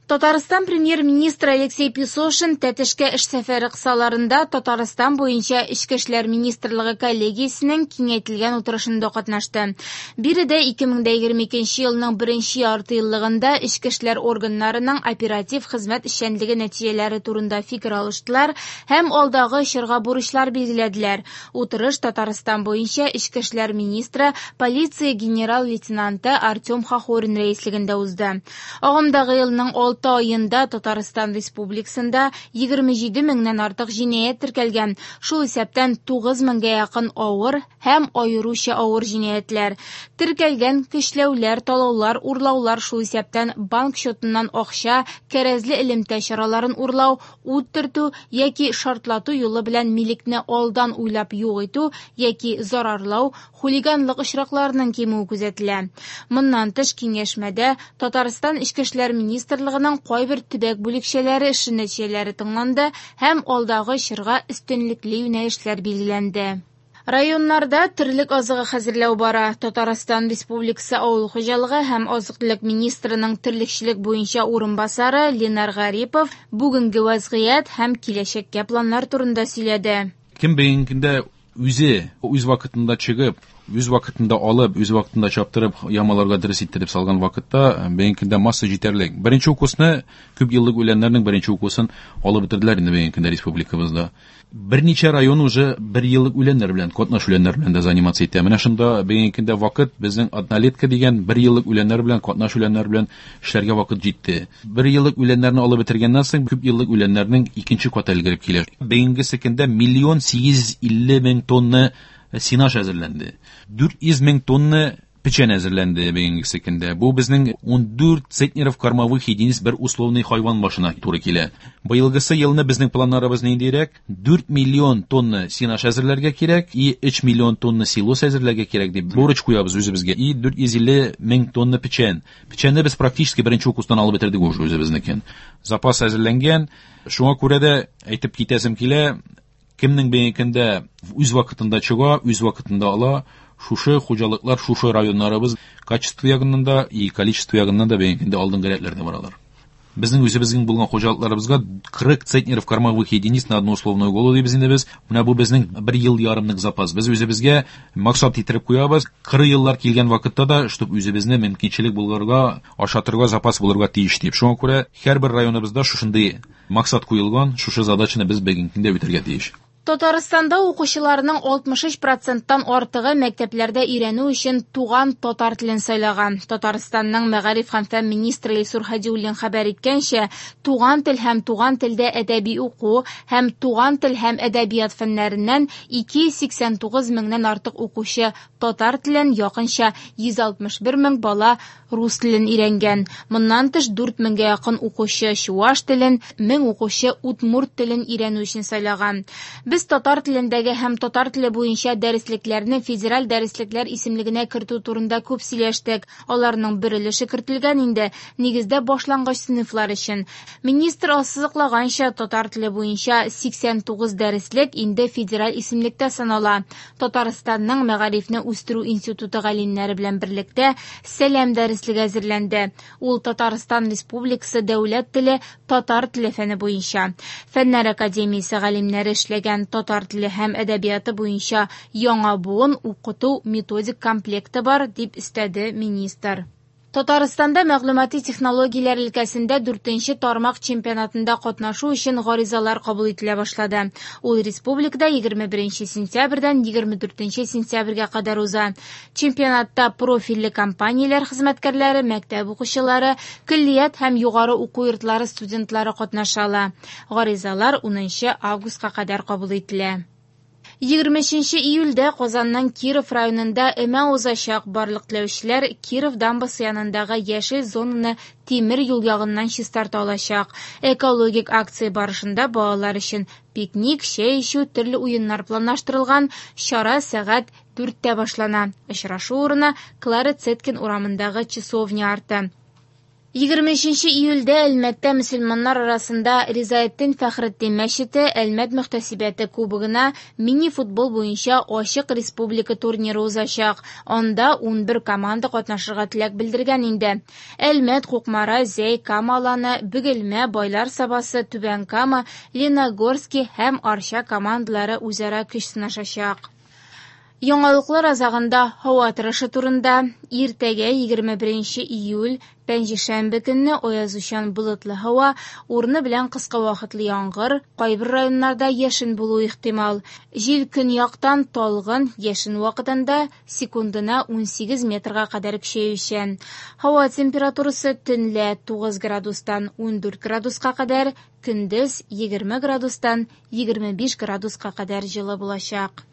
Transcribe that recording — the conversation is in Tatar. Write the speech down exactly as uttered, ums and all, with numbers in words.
Татарстан премьер-министры Алексей Песошин Тәтешкә эш сәфәре кысаларында Татарстан буенча Эчке эшләр министрлыгы коллегиясенең киңәйтелгән утырышында катнашты. Биредә ике мең егерме икенче елның беренче яртыеллыгында эчке эшләр органнарының оператив хезмәт эшчәнлеге нәтиҗәләре турында фикер алыштылар һәм алдагы чорга бурычлар билгеләделәр. Утырыш Татарстан буенча эчке эшләр министры, полиция генерал-лейтенанты Артем Хохорин рәислегендә узды. Агымдагы елның алты айында Татарстан Республикасында егерме җиде меңнән артык җинаять теркәлгән, шул исәптән тугыз меңгә якын авыр һәм аеруча авыр җинаятьләр. Теркәлгән көчләүләр, талаулар, урлаулар, шул исәптән банк счетыннан акча, кәрәзле элемтә чараларын урлау, ут төртү яки шартлату юлы белән милекне алдан уйлап юк итү яки зарарлау, хулиганлык очракларының кимүе күзәтелә. Моннан тыш киңәшмәдә Татарстан Эчке эшләр министрлыгының кайбер төбәк бүлекчәләре эше нәтиҗәләре тыңланды һәм алдагы чорга өстенлекле юнәлешләр билгеләнде. Районнарда терлек азыгы хәзерләү бара. Татарстан Республикасы Авыл хуҗалыгы һәм азык-төлек министрының терлекчелек буенча урынбасары Ленар Гарипов бүгенге вазгыять һәм киләчәккә планнар турында сөйләде. Кем бүгенге үзе үз вакытында чыгып, үз вакытында алып, үз вакытында чаптырып, ямаларга дөрес иттереп салган вакытта бүгенге көндә масса җитәрлек. Беренче укусны, күп еллык үләннәрнең беренче укусын алып бетерделәр инде бүгенге көндә республикабызда. Берничә район уже бер еллык үләннәр белән, катнаш үләннәр белән дә заниматься итә. Менә шунда бүгенге көндә вакыт безнең однолетка дигән бер еллык үләннәр белән, катнаш үләннәр белән эшләргә вакыт җитте. Бер еллык үләннәрне алып бетергәннән соң күп еллык үләннәрнең икенче каты өлгереп килә. Бүгенге көндә миллион сигез йөз илле мең тонна сенаж әзерләнде. Дүрт йөз мең тонна печән әзерләнде бүгенге көндә. Бу безнең ун дүрт центнеров кормовых единиц бер условный хайван башына туры килә. Быелгысы елны безнең планнарыбыз ниндирәк? Дүрт миллион тонна сенаж әзерләргә кирәк и өч миллион тонна силос әзерләргә кирәк дип бурыч куябыз үзебезгә. И дүрт йөз илле мең тонна печән. Печәнне без практически беренче укустан алып бетердек уже үзебезнекен. Запас әзерләнгән. Шуңа күрә дә әйтеп китәсем килә, кемнең бүгенге көндә үз вакытында чыга, үз вакытында ала, шушы хуҗалыклар, шушы районнарыбыз качество ягыннан да и количество ягыннан да бүгенге көндә алдынгы рәтләрдә баралар. Безнең үзебезнең булган хуҗалыкларыбызга кырык центнеров кормовых единиц на одну условную голову дибез инде без. Менә бу безнең бер ел ярымлык запас. Без үзебезгә максат иттереп куябыз. Кырык еллар килгән вакытта да, чтоб үзебезне мөмкинчелек булырга, ашатырга запас булырга тиеш дип. Шуңа күрә һәрбер районыбызда шушындый максат куелган, шушы задачаны без бүгенге көндә үтәргә тиеш. Татарстанда укучыларның алтмыш өч проценттан артыгы мәктәпләрдә өйрәнү өчен туган татар телен сайлаган. Татарстанның мәгариф һәм фән министры Илсур Һадиуллин хәбәр иткәнчә, туган тел һәм туган телдә әдәби уку һәм туган тел һәм әдәбият фәннәреннән ике йөз сиксән тугыз меңнән артык укучы татар телен, якынча йөз алтмыш бер мең бала рус телен өйрәнгән. Моннан тыш дүрт меңгә якын укучы чуаш телен, мең укучы удмурт телен өйрәнү өчен сайлаган. Без татар телендәге һәм татар теле буенча дәреслекләрне федераль дәреслекләр исемлегенә кертү турында күп сөйләштек. Аларның бер өлеше кертелгән инде, нигездә башлангыч сыйныфлар өчен. Министр ассызыклаганча, татар теле буенча сиксән тугыз дәреслек инде федераль исемлектә санала. Татарстанның мәгарифне үстерү институты галимнәре белән берлектә Сәлам дәреслеге әзерләнде. Ул Татарстан Республикасы дәүләт теле татар теле фәне буенча. Фәннәр академиясе галимнәре эшләгән татар теле һәм әдәбияты буенча яңа буын укыту методик комплекты бар, дип өстәде министр. Татарстанда мәгълүмати технологияләр өлкәсендә дүртенче тармак чемпионатында катнашу өчен гаризалар кабул ителә башлады. Ул республикада егерме беренче сентябрьдән егерме дүртенче сентябрьгә кадәр уза. Чемпионатта профильле компанияләр хезмәткәрләре, мәктәп укучылары, көллият һәм югары уку йортлары студентлары катнаша ала. Гаризалар унынчы августка кадәр кабул ителә. Егерме өченче июльдә Казанның Киров районында өмә узачак. Барлык теләүчеләр Киров дамбасы янындагы яшел зонаны тимер юл ягыннан чистарта алачак. Экологик акция барышында балалар өчен пикник, чәй эчү, төрле уеннар планлаштырылган. Чара сәгать дүрттә башлана. Очрашу урыны Клара Цеткин урамындагы часовня арты. Егерме өченче июльдә Әлмәттә мөселманнар арасында Ризаэддин Фәхретдин мәчете Әлмәт мөхтәсибәте кубогына мини-футбол буенча ачык республика турниры узачак. Анда унбер команда катнашырга теләк белдергән инде. Әлмәт, Кукмара, Зәй, Кама Аланы, Бөгелмә, Байлар Сабасы, Түбән Кама, Лениногорский һәм Арча командалары үзара көч сынашачак. Яңалыклар азагында һава торышы турында. Иртәгә егерме беренче июль, пәнҗешәмбе көнне аязучан болытлы һава, урыны белән кыска вакытлы яңгыр, кайбер районнарда яшен булуы ихтимал. Җил көньяктан талгын, яшен вакытында секундына унсигез метрга кадәр көчәючән. Һава температурасы төнлә тугыз градустан ундүрт градуска кадәр, көндез егерме градустан егерме биш градуска кадәр җылы булачак.